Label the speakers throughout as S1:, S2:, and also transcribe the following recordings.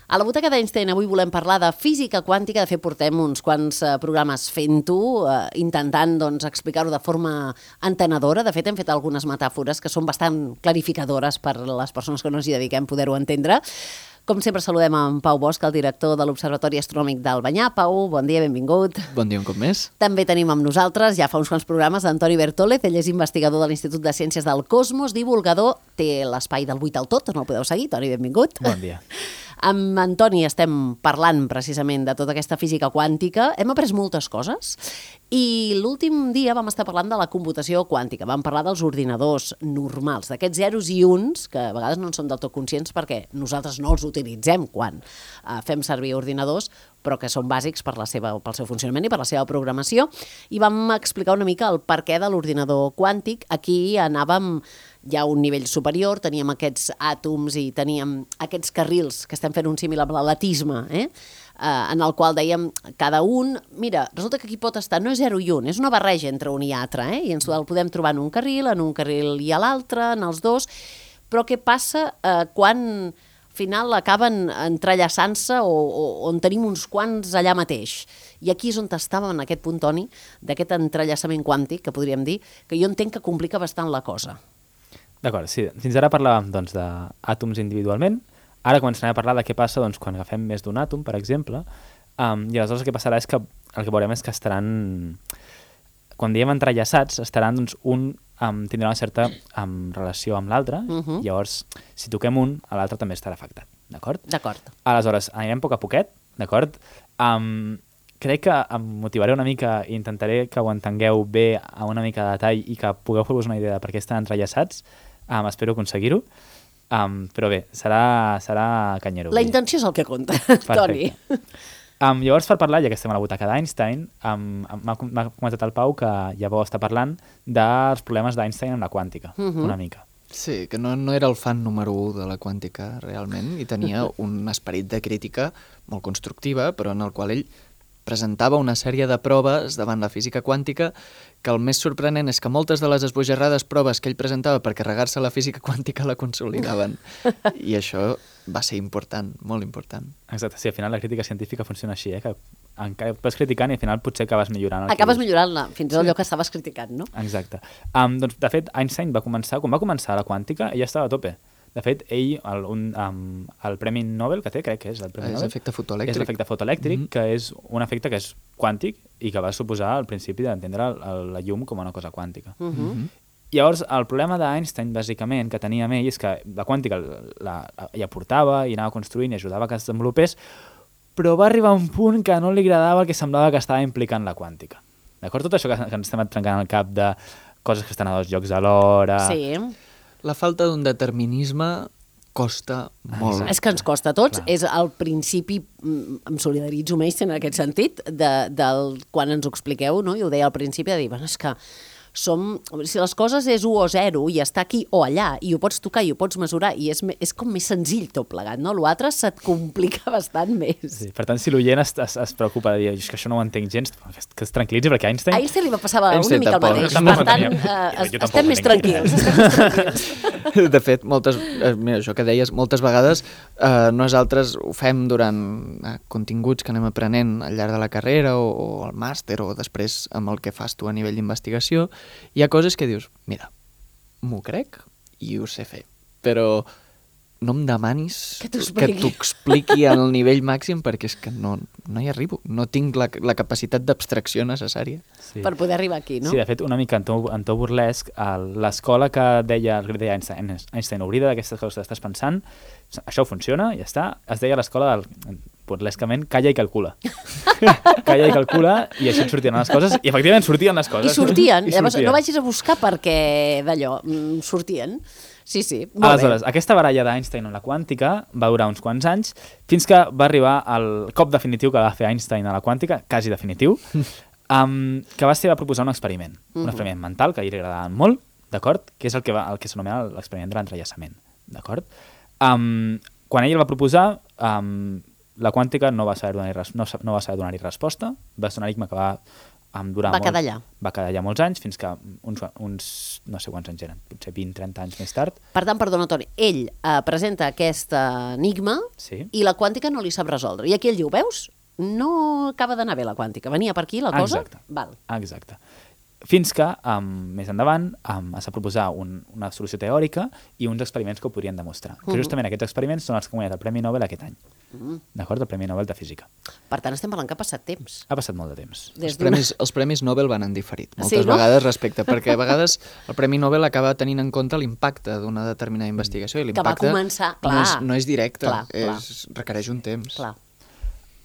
S1: A la Butaca d'Einstein avui volem parlar de física quàntica. De fet, portem uns quants programes fent-ho, intentant explicar-ho de forma entenedora. De fet, hem fet algunes metàfores que són bastant clarificadores per les persones que no ens hi dediquem poder-ho entendre. Com sempre, saludem en Pau Bosch, el director de l'Observatori Astronòmic d'Albanyà. Pau, bon dia, benvingut.
S2: Bon dia un cop més.
S1: També tenim amb nosaltres, ja fa uns quants programes, Antoni Bertólez. Ell és investigador de l'Institut de Ciències del Cosmos, divulgador, té l'espai del 8 al tot, on el podeu seguir. Toni, benvingut.
S2: Bon dia.
S1: Amb Antoni estem parlant precisament de tota aquesta física quàntica. Hem après moltes coses i l'últim dia vam estar parlant de la computació quàntica. Vam parlar dels ordinadors normals, d'aquests zeros i uns, que a vegades no en som del tot conscients perquè nosaltres no els utilitzem quan fem servir ordinadors, però que són bàsics pel seu funcionament i per la seva programació. I vam explicar una mica el perquè de l'ordinador quàntic. Aquí anàvem ja a un nivell superior, teníem aquests àtoms i teníem aquests carrils, que estem fent un símil amb l'atlatisme, en el qual dèiem cada un, mira, resulta que aquí pot estar, no és 0 i 1, és una barreja entre un i altre, i ens el podem trobar en un carril i a l'altre, en els dos, però què passa quan al final acaben entrellaçant-se o on tenim uns quants allà mateix? I aquí és on estàvem en aquest punt, Toni, d'aquest entrellaçament quàntic, que podríem dir, que jo entenc que complica bastant la cosa.
S2: D'acord, sí. Fins ara parlàvem d'àtoms individualment. Ara començarem a parlar de què passa quan agafem més d'un àtom, per exemple, i aleshores el que passarà és que el que veurem és que estaran, quan diem entrellaçats, estaran tindrà una certa relació amb l'altre, llavors si toquem un, l'altre també estarà afectat, d'acord?
S1: D'acord.
S2: Aleshores, anirem a poc a poquet, d'acord? Crec que em motivaré una mica i intentaré que ho entengueu bé a una mica de detall i que pugueu fer-vos una idea de per què estan entrellaçats. Espero aconseguir-ho, però bé, serà canyero.
S1: La intenció és el que compta, Toni.
S2: Llavors, per parlar, ja que estem a la butaca d'Einstein, m'ha comentat el Pau que ja vau estar parlant dels problemes d'Einstein amb la quàntica, una mica.
S3: Sí, que no era el fan número 1 de la quàntica, realment, i tenia un esperit de crítica molt constructiva, però en el qual ell presentava una sèrie de proves davant la física quàntica que el més sorprenent és que moltes de les esbojarrades proves que ell presentava per carregar-se la física quàntica la consolidaven. I això va ser important, molt important.
S2: Exacte, sí, al final la crítica científica funciona així, que vas criticant i al final potser acabes millorant.
S1: Acabes millorant-la, fins i tot allò que estaves criticant, no?
S2: Exacte. Doncs, de fet, Einstein quan va començar la quàntica, ell estava a tope. De fet, ell, el Premi Nobel que té, crec que és el Premi Nobel.
S3: És l'efecte fotoelèctric.
S2: És l'efecte fotoelèctric, que és un efecte que és quàntic i que va suposar al principi d'entendre la llum com una cosa quàntica. Llavors, el problema d'Einstein, bàsicament, que tenia amb ell, és que la quàntica ja portava i anava construint i ajudava que es desenvolupés, però va arribar a un punt que no li agradava el que semblava que estava implicant la quàntica. D'acord? Tot això que ens estem trencant al cap de coses que estan a 2 llocs alhora...
S1: Sí.
S3: La falta d'un determinisme costa molt.
S1: És que ens costa a tots. Clar. És al principi, em solidaritzo amb ells en aquest sentit, quan ens ho expliqueu, no? I ho deia al principi, de dir, bueno, és que si les coses és 1 o 0 i està aquí o allà, i ho pots tocar i ho pots mesurar, i és com més senzill tot plegat, no? L'altre se't complica bastant més.
S2: Sí, per tant, si l'oient es preocupa de dir és que això no ho entenc gens, que es tranquil·litzi, perquè
S1: A Einstein li va passar una mica el mateix. Per tant, estem més tranquils.
S3: De fet, mira, això que deies, moltes vegades nosaltres ho fem durant continguts que anem aprenent al llarg de la carrera o al màster o després amb el que fas tu a nivell d'investigació. Hi ha coses que dius, mira, m'ho crec i ho sé fer, però no em demanis que t'ho expliqui al nivell màxim perquè és que no hi arribo, no tinc la capacitat d'abstracció necessària.
S1: Sí. Per poder arribar aquí, no?
S2: Sí, de fet, una mica en to burlesc, l'escola que deia Einstein, oblida d'aquestes coses que estàs pensant, això funciona, ja està, es deia l'escola burlescament, calla i calcula. Calla i calcula, i així et sortien les coses, i efectivament sortien les coses.
S1: I sortien. Llavors, no vagis a buscar perquè d'allò, sortien. Sí,
S2: aleshores, aquesta baralla d'Einstein amb la quàntica va durar uns quants anys, fins que va arribar el cop definitiu que va fer Einstein a la quàntica, quasi definitiu, que va proposar un experiment mental, que a ell li agradava molt, d'acord? Que és el que s'anomena l'experiment de l'entrellaçament, d'acord? Quan ell el va proposar, la quàntica no va saber donar-hi resposta, va ser un enigma que va
S1: Va quedar allà.
S2: Va quedar allà molts anys, fins que uns no sé quants anys eren, potser 20-30 anys més tard.
S1: Per tant, perdona, Toni, ell presenta aquest enigma i la quàntica no li sap resoldre. I aquí ell diu, veus? No acaba d'anar bé la quàntica. Venia per aquí la cosa?
S2: Exacte.
S1: Val.
S2: Exacte. Fins que, més endavant, s'ha proposar una solució teòrica i uns experiments que ho podrien demostrar. Que justament aquests experiments són els que han guanyat el Premi Nobel aquest any. D'acord? El Premi Nobel de Física.
S1: Per tant, estem parlant que ha passat temps.
S2: Ha passat molt de temps.
S3: Els premis Nobel van en diferit, moltes vegades respecte, perquè a vegades el Premi Nobel acaba tenint en compte l'impacte d'una determinada investigació i l'impacte no és directe, requereix un temps.
S1: Clar.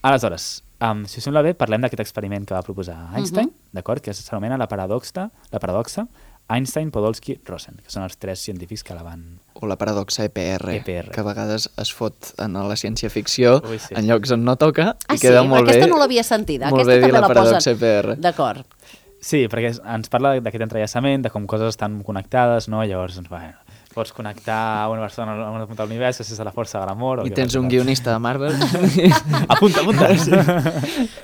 S2: Aleshores, si us sembla bé, parlem d'aquest experiment que va proposar Einstein, d'acord? Que s'anomena la paradoxa Einstein, Podolsky, Rosen, que són els 3 científics que la van...
S3: O la paradoxa EPR, que a vegades es fot en la ciència-ficció en llocs on no toca i queda molt bé.
S1: Aquesta no l'havia sentida.
S3: Molt bé dir la paradoxa EPR.
S1: D'acord.
S2: Sí, perquè ens parla d'aquest entrellaçament, de com coses estan connectades, no? Llavors, bueno, pots connectar una persona a una punta de l'univers gràcies a la força de l'amor.
S3: I tens un guionista de Marvel.
S2: Apunta. Sí.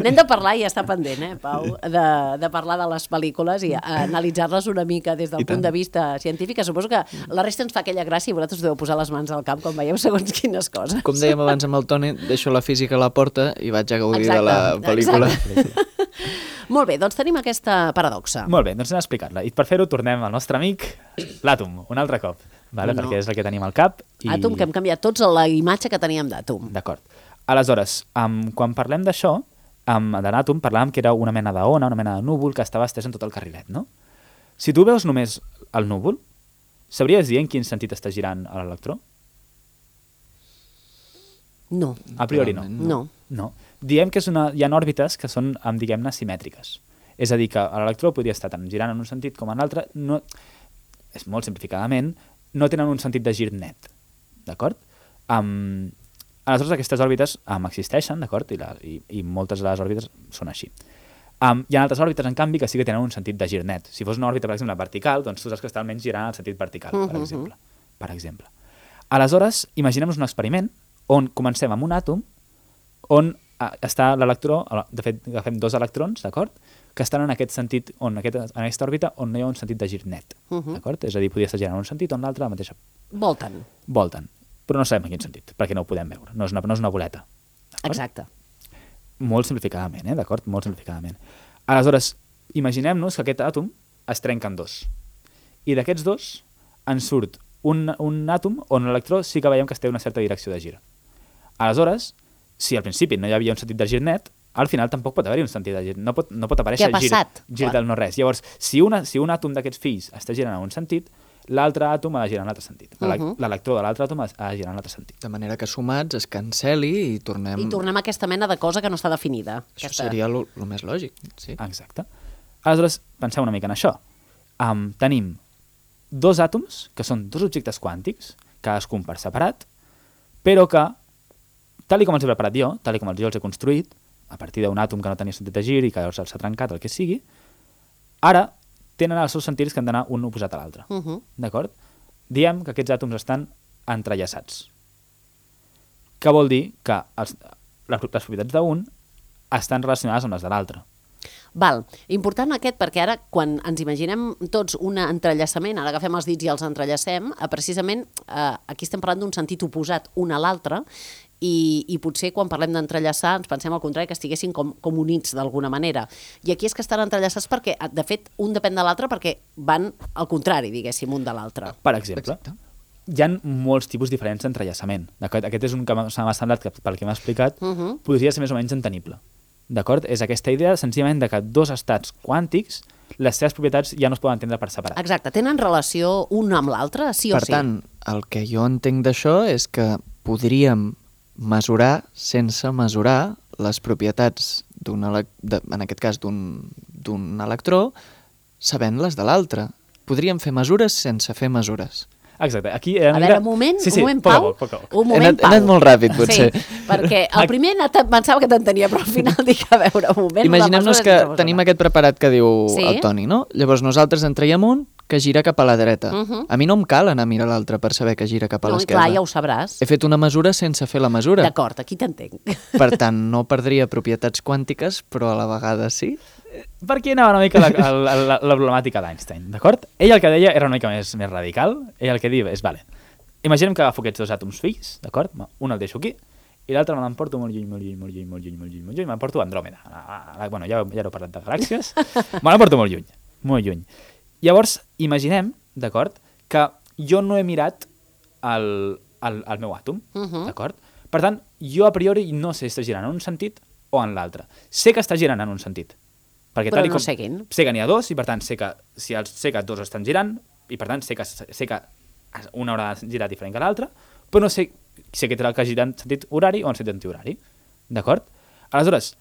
S1: N'hem de parlar, i està pendent, Pau, de parlar de les pel·lícules i analitzar-les una mica des del punt de vista científic. Suposo que la resta ens fa aquella gràcia i vosaltres deveu posar les mans al cap quan veieu segons quines coses.
S3: Com dèiem abans amb el Toni, deixo la física a la porta i vaig a gaudir de la pel·lícula.
S1: Molt bé, doncs tenim aquesta paradoxa.
S2: Molt bé, doncs anem a explicar-la. I per fer-ho tornem al nostre amic, l'àtom, un altre cop, perquè és el que tenim al cap.
S1: Àtom, que hem canviat tots la imatge que teníem d'àtom.
S2: D'acord. Aleshores, quan parlem d'això, de l'àtom, parlàvem que era una mena d'ona, una mena de núvol que estava estès en tot el carrilet, no? Si tu veus només el núvol, sabries dir en quin sentit està girant l'electró?
S1: No.
S2: A priori no. No. Diem que hi ha òrbites que són, diguem-ne, simètriques. És a dir, que l'electró podria estar tant girant en un sentit com en l'altre, és molt simplificadament, no tenen un sentit de gir net. D'acord? Aleshores, aquestes òrbites existeixen, d'acord? I moltes de les òrbites són així. Hi ha altres òrbites, en canvi, que sí que tenen un sentit de gir net. Si fos una òrbita, per exemple, vertical, doncs tu saps que està almenys girant en el sentit vertical, per exemple. Aleshores, imaginem-nos un experiment on comencem amb un àtom on està l'electró, de fet agafem 2 electrons, d'acord? Que estan en aquest sentit, en aquesta òrbita on no hi ha un sentit de gir net, d'acord? És a dir, podria estar girant en un sentit o en l'altre la mateixa.
S1: Volten,
S2: però no sabem en quin sentit, perquè no ho podem veure, no és una boleta.
S1: Exacte.
S2: Molt simplificadament, d'acord? Molt simplificadament. Aleshores, imaginem-nos que aquest àtom es trenca en 2. I d'aquests 2 en surt un àtom on l'electró sí que veiem que té una certa direcció de gir. Aleshores, si al principi no hi havia un sentit de gir net, al final tampoc pot haver-hi un sentit de gir. No pot aparèixer gir del no-res. Llavors, si un àtom d'aquests fills està girant en un sentit, l'altre àtom ha de girar en l'altre sentit. L'electró de l'altre àtom ha de girar en l'altre sentit.
S3: De manera que sumats es canceli i tornem...
S1: I tornem a aquesta mena de cosa que no està definida.
S3: Això seria el més lògic, sí.
S2: Exacte. Aleshores, penseu una mica en això. Tenim 2 àtoms, que són 2 objectes quàntics, cadascun per separat, però que, tal com els he preparat jo, tal com jo els he construït, a partir d'un àtom que no tenia sentit de gir i que llavors s'ha trencat, el que sigui, ara tenen els seus sentits que han d'anar un oposat a l'altre. D'acord? Diem que aquests àtoms estan entrellaçats. Què vol dir? Que les propietats d'un estan relacionades amb les de l'altre.
S1: Val, important aquest perquè ara quan ens imaginem tots un entrellaçament, ara agafem els dits i els entrellacem, precisament aquí estem parlant d'un sentit oposat un a l'altre i potser quan parlem d'entrellaçar ens pensem al contrari que estiguessin com units d'alguna manera. I aquí és que estan entrellaçats perquè, de fet, un depèn de l'altre perquè van al contrari, diguéssim, un de l'altre.
S2: Per exemple, hi ha molts tipus diferents d'entrellaçament. Aquest és un que m'ha semblat que pel que m'ha explicat podria ser més o menys entenible. D'acord? És aquesta idea senzillament de que 2 estats quàntics, les seves propietats ja no es poden entendre per separat.
S1: Exacte. Tenen relació un amb l'altre, sí o sí?
S3: Per tant, el que jo entenc d'això és que podríem mesurar sense mesurar les propietats, en aquest cas, d'un electró, sabent-les de l'altre. Podríem fer mesures sense fer mesures.
S2: Exacte. Aquí
S1: a veure, un moment, Pau. Un moment, Pau.
S3: He anat molt ràpid, potser.
S1: Sí, perquè el primer pensava que t'entenia, però al final dic, a veure, un moment.
S3: Imaginem-nos que tenim aquest preparat que diu el Toni, no? Llavors nosaltres en traiem un que gira cap a la dreta. A mi no em cal anar a mirar l'altre per saber que gira cap a l'esquerra.
S1: Clar, ja ho sabràs.
S3: He fet una mesura sense fer la mesura.
S1: D'acord, aquí t'entenc.
S3: Per tant, no perdria propietats quàntiques, però a la vegada sí.
S2: Per aquí anava una mica la problemàtica d'Einstein, d'acord? Ell el que deia era una mica més radical. Ell el que diu és, vale, imaginem que agafo aquests dos àtoms fills, d'acord? Un el deixo aquí, i l'altre me l'emporto molt lluny, m'emporto a Andròmeda. Bueno, ja heu parlat de galàxies. Me l'emporto molt lluny. Llavors, imaginem, d'acord, que jo no he mirat el meu àtom, d'acord? Per tant, jo a priori no sé si està girant en un sentit o en l'altre. Sé que està girant en un sentit. Perquè
S1: però no sé quin.
S2: Sé que n'hi ha dos i per tant sé que dos estan girant i per tant sé que una haurà de girar diferent que l'altra, però no sé si aquest que gira en sentit horari o en sentit antihorari. D'acord? Aleshores,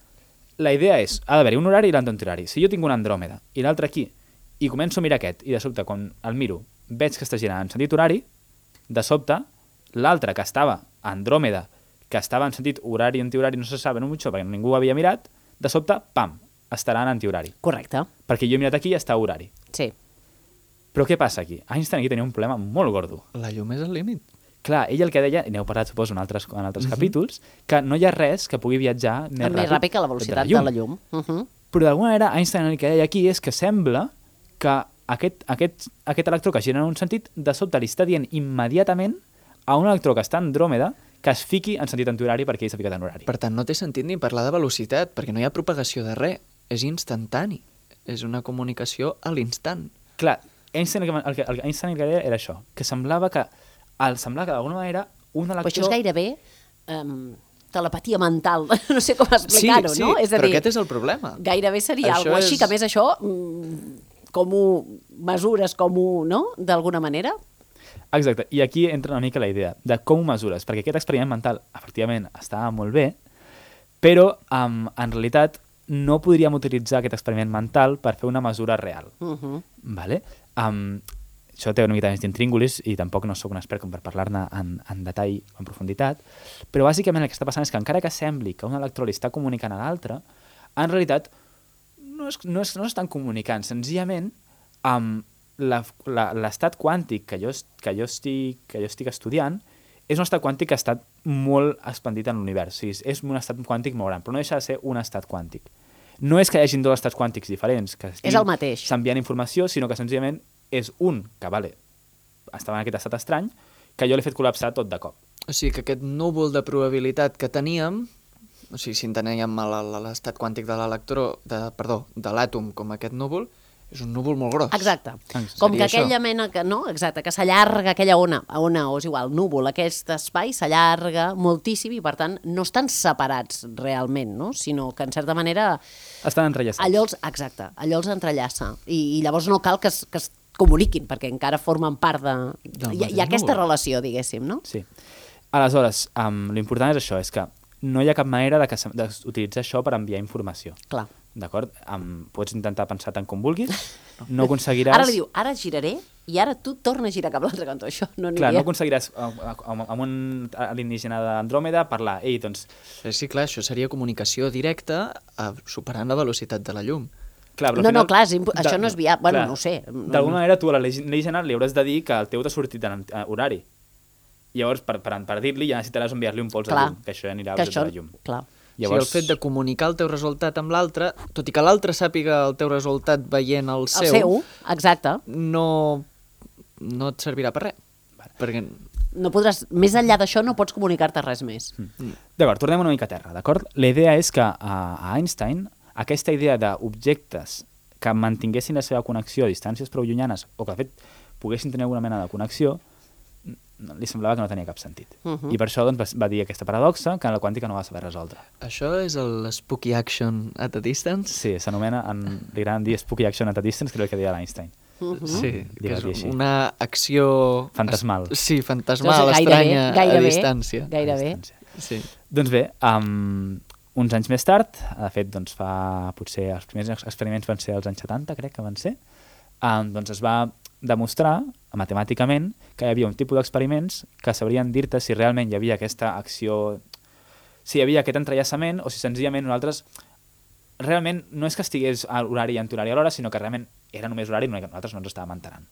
S2: la idea és, ha d'haver-hi un horari i l'altre antihorari. Si jo tinc una Andròmeda i l'altre aquí i començo a mirar aquest i de sobte quan el miro veig que està girant en sentit horari, de sobte l'altre que estava a Andròmeda, que estava en sentit horari i antihorari, no se sap mucho perquè ningú ho havia mirat, de sobte, pam, estarà en antihorari.
S1: Correcte.
S2: Perquè jo he mirat aquí i està a horari.
S1: Sí.
S2: Però què passa aquí? Einstein aquí tenia un problema molt gordo.
S3: La llum és el límit.
S2: Clar, ell el que deia, i n'heu parlat, suposo, en altres capítols, que no hi ha res que pugui viatjar més
S1: ràpid que la velocitat de la llum.
S2: Però d'alguna manera Einstein el que deia aquí és que sembla que aquest electró que gira en un sentit, de sobte li està dient immediatament a un electró que està en Andròmeda que es fiqui en sentit antihorari perquè ell s'ha ficat en horari.
S3: Per tant, no té sentit ni parlar de velocitat, perquè no hi ha propagació de res. És instantani. És una comunicació a l'instant.
S2: Clar, Einstein el que deia era això, que semblava que d'alguna manera un electró...
S1: Però això és gairebé telepatia mental, no sé com explicar-ho,
S3: sí,
S1: no? És a
S3: però
S1: dir,
S3: aquest és el problema.
S1: Gairebé seria alguna així, que a més això, com ho mesures, no? D'alguna manera?
S2: Exacte, i aquí entra una mica la idea de com ho mesures, perquè aquest experiment mental, efectivament, estava molt bé, però en realitat no podríem utilitzar aquest experiment mental per fer una mesura real. Vale? Això té una mica més d'intríngulis i tampoc no sóc un expert com per parlar-ne en detall o en profunditat, però bàsicament el que està passant és que encara que sembli que un electró li està comunicant a l'altre, en realitat no estan comunicant, senzillament l'estat quàntic que jo estic estudiant és un estat quàntic que ha estat molt expandit en l'univers. O sigui, és un estat quàntic molt gran, però no deixa de ser un estat quàntic. No és que hi hagin dos estats quàntics diferents que
S1: és el mateix.
S2: S'enviant informació, sinó que senzillament és un que, estava en aquest estat estrany, que jo l'he fet col·lapsar tot de cop.
S3: O sigui que aquest núvol de probabilitat que teníem, o sigui, si enteníem l'estat quàntic de l'àtom com aquest núvol, és un núvol molt gros.
S1: Exacte. Com que aquella mena que, no? Exacte, que s'allarga aquella ona, o és igual, núvol, aquest espai s'allarga moltíssim i per tant no estan separats realment, no? Sinó que en certa manera...
S2: Estan entrellaçats.
S1: Exacte, allò els entrellaça. I llavors no cal que es comuniquin, perquè encara formen part de... Hi ha aquesta relació, diguéssim, no?
S2: Sí. Aleshores, l'important és això, és que no hi ha cap manera d'utilitzar això per enviar informació.
S1: Clar.
S2: D'acord? Pots intentar pensar tant com vulguis, no aconseguiràs...
S1: Ara li diu, ara giraré i ara tu torna a girar cap a l'altre cantó. Això no aniria.
S2: Clar, no aconseguiràs amb un alienígena d'Andròmeda parlar, ei, doncs...
S3: Sí, clar, això seria comunicació directa superant la velocitat de la llum.
S2: Clar,
S1: però no, clar, això no és viable. Bueno, no ho sé.
S2: D'alguna manera tu a l'alienígena li hauràs de dir que el teu t'ha sortit en horari. Llavors, per dir-li, ja necessitaràs enviar-li un pols de llum, que això anirà a la llum.
S1: Clar.
S3: Llavors... O sigui, el fet de comunicar el teu resultat amb l'altre, tot i que l'altre sàpiga el teu resultat veient el seu...
S1: El seu, exacte.
S3: No et servirà per res. Perquè...
S1: No podràs, més enllà d'això no pots comunicar-te res més.
S2: D'acord, tornem una mica a terra, d'acord? La idea és que a Einstein aquesta idea d'objectes que mantinguessin la seva connexió a distàncies prou llunyanes o que de fet poguessin tenir alguna mena de connexió li semblava que no tenia cap sentit. I per això doncs, va dir aquesta paradoxa que la quàntica no va saber resoldre.
S3: Això és el spooky action at a distance?
S2: Sí, s'anomena, li agraden dir spooky action at a distance, que és el que deia l'Einstein.
S3: Sí, que és una acció...
S2: Fantasmal.
S3: Sí, fantasmal, estranya, a distància.
S1: Gairebé.
S3: Sí.
S2: Doncs bé, uns anys més tard, de fet, doncs potser els primers experiments van ser als anys 70, crec que van ser, doncs es va demostrar matemàticament que hi havia un tipus d'experiments que sabrien dir-te si realment hi havia aquesta acció, si hi havia aquest entrellaçament o si senzillament nosaltres realment no és que estigués a l'horari i antihorari alhora, sinó que realment era només horari i nosaltres no ens estàvem enterant.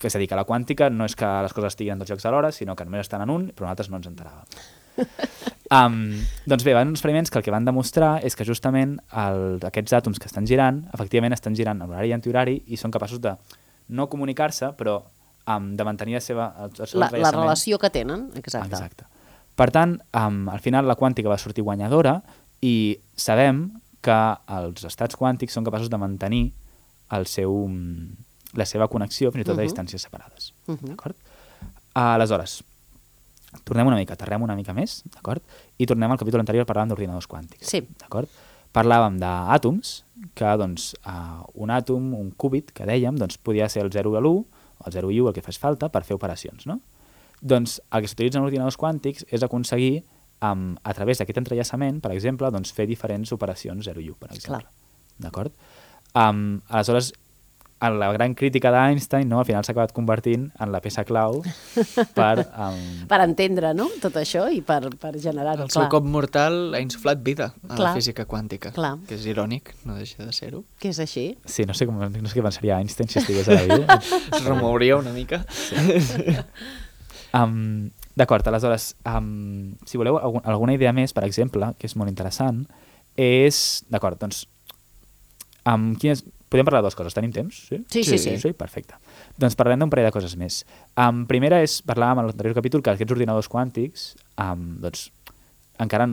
S2: És a dir, que la quàntica no és que les coses estiguin en tots llocs alhora, sinó que només estan en un, però nosaltres no ens enteràvem. Doncs bé, van uns experiments que el que van demostrar és que justament aquests àtoms que estan girant, efectivament estan girant en horari i antihorari i són capaços de no comunicar-se, però de mantenir el seu entrellaçament.
S1: La relació que tenen, exacte.
S2: Exacte. Per tant, al final la quàntica va sortir guanyadora i sabem que els estats quàntics són capaços de mantenir la seva connexió fins i tot a distàncies separades. D'acord? Aleshores, tornem una mica, aterrem una mica més, d'acord? I tornem al capítol anterior, parlàvem d'ordinadors quàntics.
S1: Sí.
S2: D'acord? Parlàvem d'àtoms, que doncs, un àtom, un qubit, que dèiem, doncs, podia ser el 0 i l'1, o el 0 i 1, el que fes falta, per fer operacions, no? Doncs el que s'utilitza en ordinadors quàntics és aconseguir, a través d'aquest entrellaçament, per exemple, doncs, fer diferents operacions 0 i 1, per exemple. D'acord? Aleshores, la gran crítica d'Einstein, no, al final s'ha acabat convertint en la peça clau
S1: per entendre, no?, tot això i per generar-ho.
S3: El seu cop mortal ha insuflat vida a la física quàntica,
S1: Clar.
S3: que és irònic, no deixa de ser-ho.
S1: Que és així.
S2: Sí, no sé què pensaria Einstein si estigués a la vida.
S3: Es remouria una mica.
S2: Sí. D'acord, aleshores, si voleu alguna idea més, per exemple, que és molt interessant, és... D'acord, doncs, podem parlar de dues coses. Tenim temps?
S1: Sí.
S2: Sí, perfecte. Doncs parlem d'un parell de coses més. Primera és, parlàvem en l'anterior capítol, que aquests ordinadors quàntics doncs, encara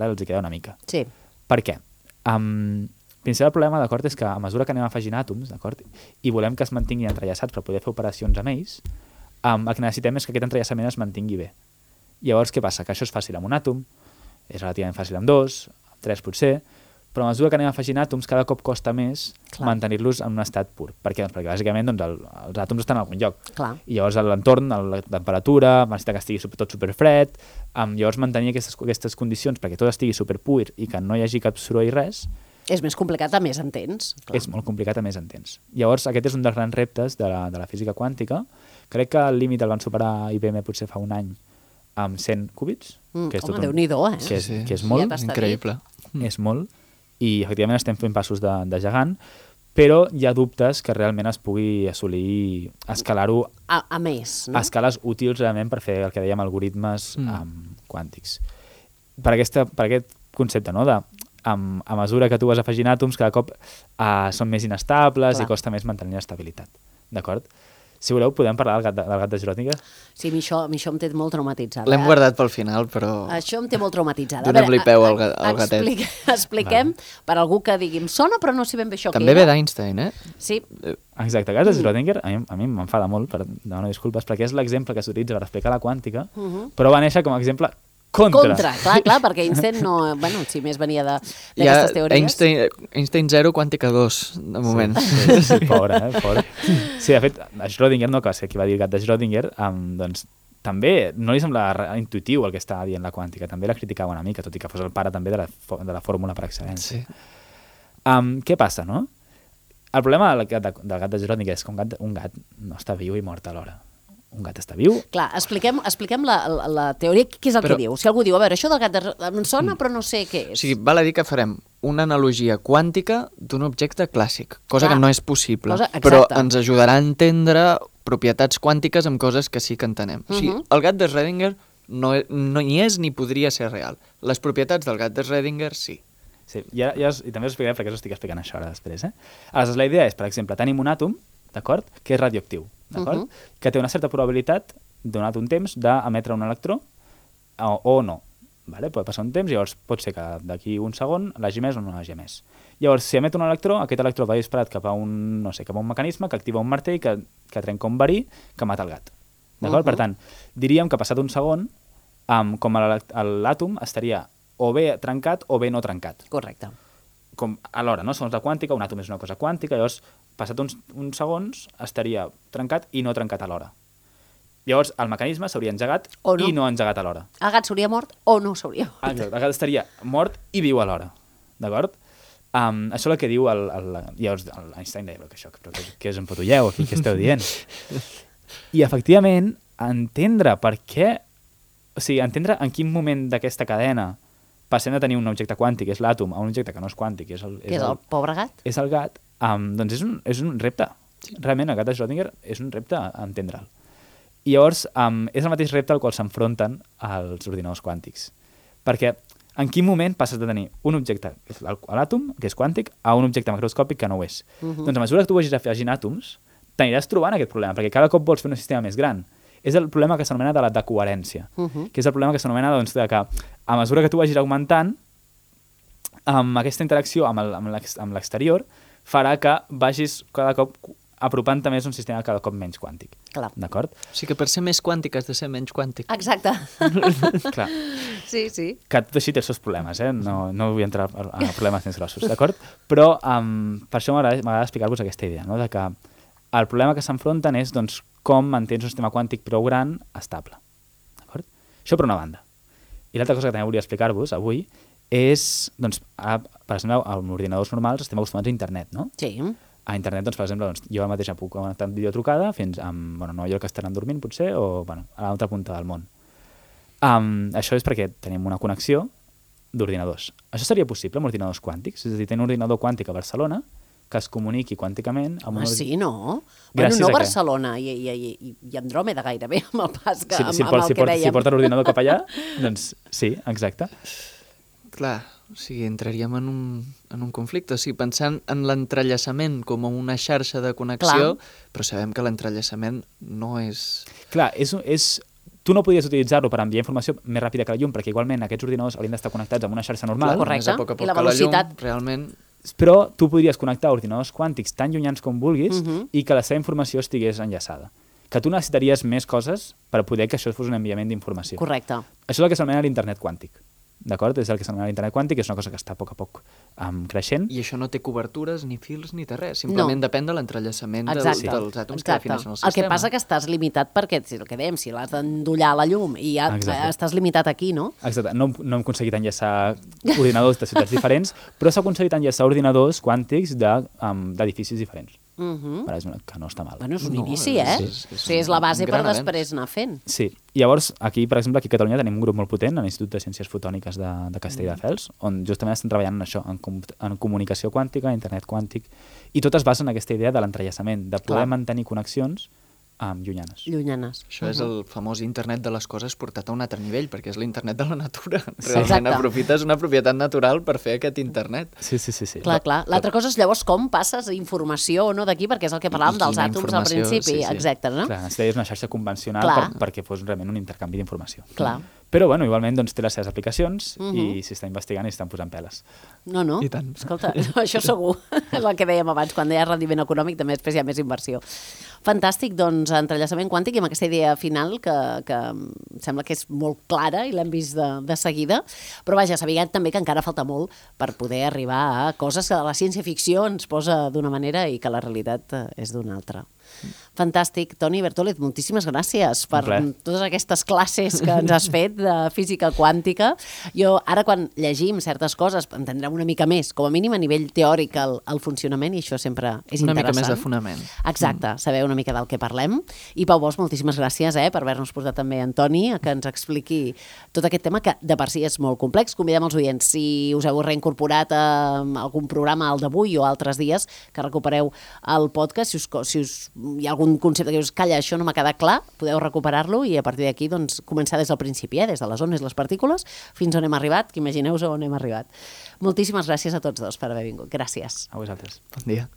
S2: els hi queda una mica.
S1: Sí.
S2: Per què? El principal problema, d'acord, és que a mesura que anem afegint àtoms, d'acord, i volem que es mantinguin entrellaçats per poder fer operacions amb ells, el que necessitem és que aquest entrellaçament es mantingui bé. Llavors, què passa? Que això és fàcil amb un àtom, és relativament fàcil amb dos, amb tres potser, però a mesura que anem afegint àtoms cada cop costa més mantenir-los en un estat pur. Per què? Doncs perquè bàsicament els àtoms estan en algun lloc.
S1: Clar.
S2: I llavors l'entorn, la temperatura, necessita que estigui tot superfred, llavors mantenir aquestes condicions perquè tot estigui superpur i que no hi hagi cap soroll i res...
S1: És més complicat a més en temps. Clar.
S2: És molt complicat a més en temps. Llavors aquest és un dels grans reptes de la física quàntica. Crec que el límit el van superar IBM potser fa un any amb 100 qubits.
S1: Que és Déu-n'hi-do,
S2: que és molt.
S1: Ja
S3: increïble.
S2: És molt. I efectivament estem fent passos de gegant, però hi ha dubtes que realment es pugui assolir, escalar-ho
S1: a més, no?
S2: A escales útils realment per fer el que dèiem algoritmes quàntics. Per aquest concepte, no?, a mesura que tu vas afegint àtoms, cada cop són més inestables i costa més mantenir l'estabilitat. D'acord? Si voleu, podem parlar del gat de Schrödinger?
S1: Sí, a mi això em té molt traumatitzada.
S3: L'hem guardat pel final, però...
S1: Això em té molt traumatitzada.
S3: Donem-li peu al gatet.
S1: Expliquem, per algú que digui, em sona, però no sé ben bé això
S3: També ve d'Einstein, eh?
S1: Sí.
S2: Exacte, el gat de Schrödinger, a mi m'enfada molt, demano disculpes, perquè és l'exemple que s'utilitza per explicar la quàntica, però va néixer com a exemple contra,
S1: clar, perquè Einstein no... Bueno, si més venia d'aquestes teories...
S3: Einstein 0, quàntica 2, de moment.
S2: Sí, pobre. Sí, de fet, a Schrödinger, no, que va ser qui va dir el gat de Schrödinger, doncs també no li sembla intuitiu el que estava dient la quàntica, també la criticava una mica, tot i que fos el pare també de la fórmula per excel·lència.
S3: Sí.
S2: Què passa, no? El problema del gat de Schrödinger és que un gat no està viu i mort alhora. Un gat està viu.
S1: Clar, expliquem la teoria, què és el que diu. Si algú diu, a veure, això del gat em sona, però no sé què és.
S3: O sigui, val a dir que farem una analogia quàntica d'un objecte clàssic, cosa que no és possible, però ens ajudarà a entendre propietats quàntiques amb coses que sí que entenem. O sigui, el gat de Schrödinger no hi és ni podria ser real. Les propietats del gat de Schrödinger sí.
S2: Sí, i també us explicaré perquè us estic explicant això ara després. Aleshores, la idea és, per exemple, tenim un àtom, d'acord, que és radioactiu, d'acord, que té una certa probabilitat, donat un temps, d'emetre un electró o no. Vale? Pot passar un temps, llavors pot ser que d'aquí un segon l'hagi emès o no l'hagi emès. Llavors, si emet un electró, aquest electró va disparat cap a un mecanisme que activa un martell que trenca un verí que mata el gat. D'acord? Per tant, diríem que passat un segon, com l'àtom estaria o bé trencat o bé no trencat.
S1: Correcte.
S2: Com alhora, no? Segons la quàntica, un àtom és una cosa quàntica, llavors, passat uns segons, estaria trencat i no trencat alhora. Llavors, el mecanisme s'hauria engegat i no engegat alhora.
S1: El gat s'hauria mort o no s'hauria mort.
S2: Exacte, el gat estaria mort i viu alhora. D'acord? Això és el que diu llavors l'Einstein deia, però què us empotulleu aquí, què esteu dient? I, efectivament, entendre per què... O sigui, entendre en quin moment d'aquesta cadena passem de tenir un objecte quàntic, és l'àtom, a un objecte que no és quàntic, és el
S1: pobre gat?
S2: És el gat. Doncs és un repte. Realment, el gat de Schrödinger és un repte entendre'l. I llavors, és el mateix repte al qual s'enfronten els ordinadors quàntics. Perquè en quin moment passes de tenir un objecte, l'àtom, que és quàntic, a un objecte macroscòpic que no ho és? Doncs a mesura que tu vagis afegint àtoms, t'aniràs trobant aquest problema, perquè cada cop vols fer un sistema més gran. És el problema que s'anomena de la decoherència, que és el problema que s'anomena doncs, de que a mesura que tu vagis augmentant, amb aquesta interacció amb l'exterior farà que vagis cada cop apropant-te més un sistema cada cop menys quàntic.
S1: Clar.
S2: D'acord?
S3: O sigui que per ser més quàntic has de ser menys quàntic.
S1: Exacte.
S2: Clar.
S1: Sí, sí.
S2: Que tot així té els seus problemes, no vull entrar a problemes més grossos, d'acord? Però per això m'agrada explicar-vos aquesta idea, no? De que el problema que s'enfronten és doncs, com mantens un sistema quàntic prou gran estable. D'acord? Això per una banda. I l'altra cosa que també volia explicar-vos avui és, doncs, ara, per exemple, amb ordinadors normals estem acostumats a internet, no?
S1: Sí.
S2: A internet, doncs, per exemple, doncs, jo mateix puc connectar en videotrucada fins a Nova York, que estaran dormint, potser, o a l'altra punta del món. Això és perquè tenim una connexió d'ordinadors. Això seria possible amb ordinadors quàntics? És a dir, tenir un ordinador quàntic a Barcelona que es comuniqui quànticament amb un...
S1: Sí, no?
S2: Gràcies
S1: Bueno, no
S2: a què?
S1: Barcelona i Andròmeda gairebé, amb el pas que, amb
S2: Si
S1: el que dèiem.
S2: porta l'ordinador cap allà, doncs sí, exacte.
S3: Clar, o sigui, entraríem en un conflicte. O sigui, pensant en l'entrellaçament com una xarxa de connexió, però sabem que l'entrellaçament no és...
S2: Clar, tu no podies utilitzar-lo per enviar informació més ràpida que la llum, perquè igualment aquests ordinadors haurien d'estar connectats amb una xarxa normal.
S1: Correcte.
S3: Més a poc
S1: I la
S3: que
S1: velocitat-
S3: llum, realment...
S2: Però tu podries connectar ordinadors quàntics tan llunyans com vulguis i que la seva informació estigués enllaçada. Que tu necessitaries més coses per poder que això fos un enviament d'informació.
S1: Correcte.
S2: Això és el que s'anomena l'internet quàntic. D'acord? És el que s'anomena l'internet quàntic, és una cosa que està a poc creixent.
S3: I això no té cobertures, ni fils, ni té res. Simplement depèn de l'entrellaçament dels àtoms que defineixen el sistema.
S1: El que passa que estàs limitat perquè, el que dèiem, si l'has d'endollar a la llum i ja estàs limitat aquí, no?
S2: Exacte. No hem aconseguit enllaçar ordinadors de ciutats diferents, però s'ha aconseguit enllaçar ordinadors quàntics d'edificis diferents. Que no està mal.
S1: Bueno, és un inici, Sí, és la base per després anar fent.
S2: Sí. Llavors, aquí, per exemple, aquí a Catalunya tenim un grup molt potent, a l'Institut de Ciències Fotòniques de Castelldefels, on justament estan treballant en això, en comunicació quàntica, internet quàntic, i tot es basa en aquesta idea de l'entrellaçament, de poder mantenir connexions llunyanes.
S3: Això és el famós internet de les coses portat a un altre nivell, perquè és l'internet de la natura. Realment aprofites una propietat natural per fer aquest internet.
S2: Sí.
S1: Clar. L'altra cosa és llavors com passes informació o no d'aquí, perquè és el que parlàvem dels àtoms al principi. Exacte, no?
S2: Clar, necessitaries una xarxa convencional perquè fos realment un intercanvi d'informació.
S1: Clar.
S2: Però, bueno, igualment doncs, té les seves aplicacions i s'està investigant i s'estan posant peles.
S1: No.
S3: I tant.
S1: Escolta, això segur. És el que dèiem abans, quan deia rendiment econòmic també després hi ha més inversió. Fantàstic, doncs, entrellaçament quàntic i amb aquesta idea final que em sembla que és molt clara i l'hem vist de seguida, però vaja, sabent també que encara falta molt per poder arribar a coses que la ciència-ficció ens posa d'una manera i que la realitat és d'una altra. Fantàstic. Toni Bertòlez, moltíssimes gràcies per totes aquestes classes que ens has fet de física quàntica. Jo, ara quan llegim certes coses, entendrem una mica més, com a mínim a nivell teòric, el funcionament, i això sempre és
S3: una
S1: interessant.
S3: Una mica més de fonament.
S1: Exacte, saber una mica del que parlem. I Pau Bosch, moltíssimes gràcies per haver-nos portat també en Toni a que ens expliqui tot aquest tema que de per si és molt complex. Convidem els oients, si us heu reincorporat a algun programa, el d'avui o altres dies, que recupereu el podcast, si hi ha algun concepte que us calla, això no m'ha quedat clar, podeu recuperar-lo i a partir d'aquí doncs, començar des del principi, des de les ones, les partícules, fins on hem arribat, que imagineu-vos on hem arribat. Moltíssimes gràcies a tots dos per haver vingut. Gràcies.
S2: A vosaltres.
S3: Bon dia.